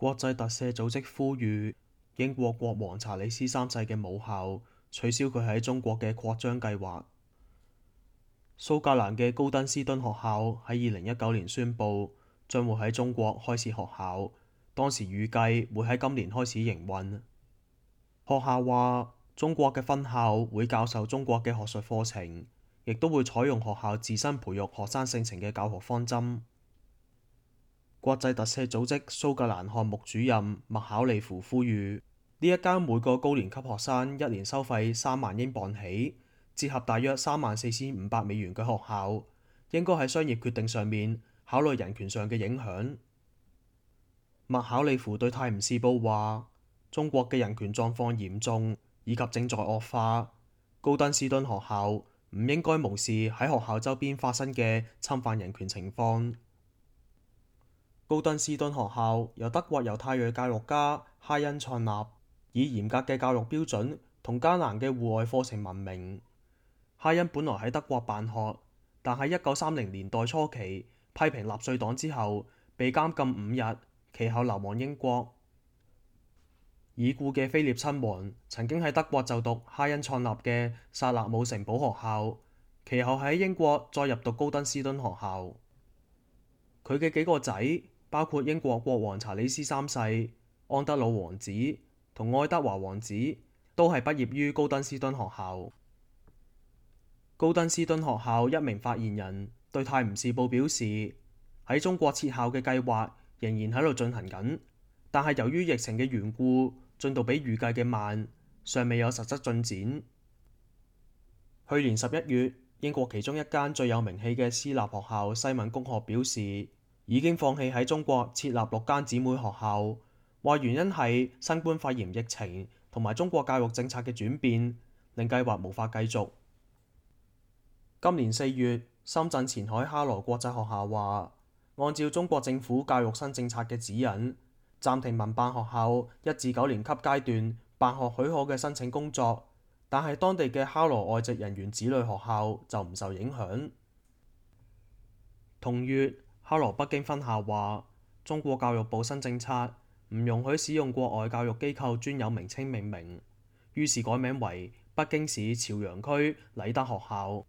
國際特赦組織呼籲英國國王查理斯三世嘅母校取消佢喺中國嘅擴張計劃。蘇格蘭嘅高登斯敦學校喺2019年宣布將會喺中國開設學校，當時預計會喺今年開始營運。學校話，中國嘅分校會教授中國嘅學術課程，亦都會採用學校自身培育學生性情嘅教學方針。國際特赦組織蘇格蘭項目主任麥考利夫呼籲，呢一間每個高年級學生一年收費3萬英鎊起，折合大約34,500美元嘅學校，應該喺商業決定上面考慮人權上嘅影響。麥考利夫對《泰晤士報》話：中國嘅人權狀況嚴重，以及正在惡化。高登斯敦學校唔應該無視喺學校周邊發生嘅侵犯人權情況。高登斯敦學校由德國猶太裔教育家哈恩創立，以嚴格嘅教育標準同艱難嘅戶外課程聞名。哈恩本來喺德國辦學，但喺1930年代初期批評納粹黨之後，被監禁5日，其後流亡英國。已故嘅菲臘親王曾經喺德國就讀哈恩創立嘅薩勒姆城堡學校，其後喺英國再入讀高登斯敦學校。佢嘅幾個仔，包括英國國王查理斯三世、安德魯王子同愛德華王子，都係畢業於高登斯敦學校。高登斯敦學校一名發言人對《泰晤士報》表示，喺中國設校嘅計劃仍然喺度進行緊，但係由於疫情嘅緣故，進度比預計嘅慢，尚未有實質進展。去年11月，英國其中一間最有名氣嘅私立學校西敏公學表示，已經放棄喺中國設立6間姊妹學校，話原因係新冠肺炎疫情同埋中國教育政策嘅轉變，令計劃無法繼續。今年4月，深圳前海哈羅國際學校話，按照中國政府教育新政策嘅指引，暫停民辦學校1至9年級階段辦學許可嘅申請工作，但係當地嘅哈羅外籍人員子女學校就唔受影響。同月，哈羅北京分校話，中國教育部新政策唔容許使用國外教育機構專有名稱命名，於是改名為北京市朝陽區禮德學校。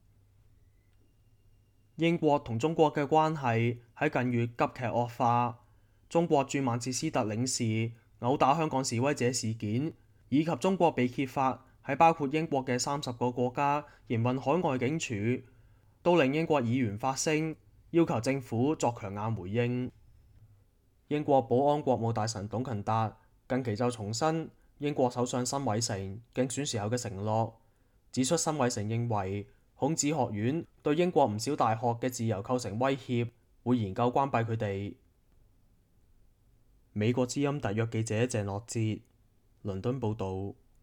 英國同中國嘅關係喺近月急劇惡化，中國駐曼徹斯特領事毆打香港示威者事件，以及中國被揭發喺包括英國嘅30個國家營運海外警署，都令英國議員發聲，要求政府作強硬回應。英國保安國務大臣董勤達近期就重申英國首相辛偉誠競選時候嘅承諾，指出辛偉誠認為孔子學院對英國唔少大學嘅自由構成威脅，會研究關閉佢哋。美國之音特約記者鄭樂哲，倫敦報導。